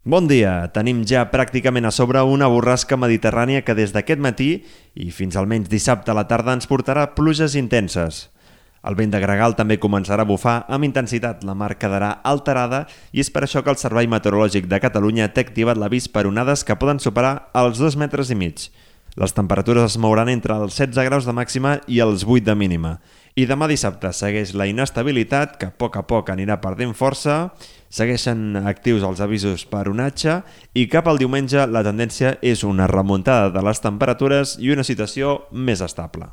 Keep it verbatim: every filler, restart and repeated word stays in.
Bon dia! Tenim ja pràcticament a sobre una borrasca mediterrània que des d'aquest matí i fins almenys dissabte a la tarda ens portarà pluges intenses. El vent de gregal també començarà a bufar amb intensitat, la mar quedarà alterada i és per això que el Servei Meteorològic de Catalunya té activat l'avís per onades que poden superar els dos metres i mig. Les temperatures es mouran entre els setze graus de màxima i els vuit de mínima. I demà dissabte segueix la inestabilitat, que a poc a poc anirà perdent força, segueixen actius els avisos per onatge i cap al diumenge la tendència és una remuntada de les temperatures i una situació més estable.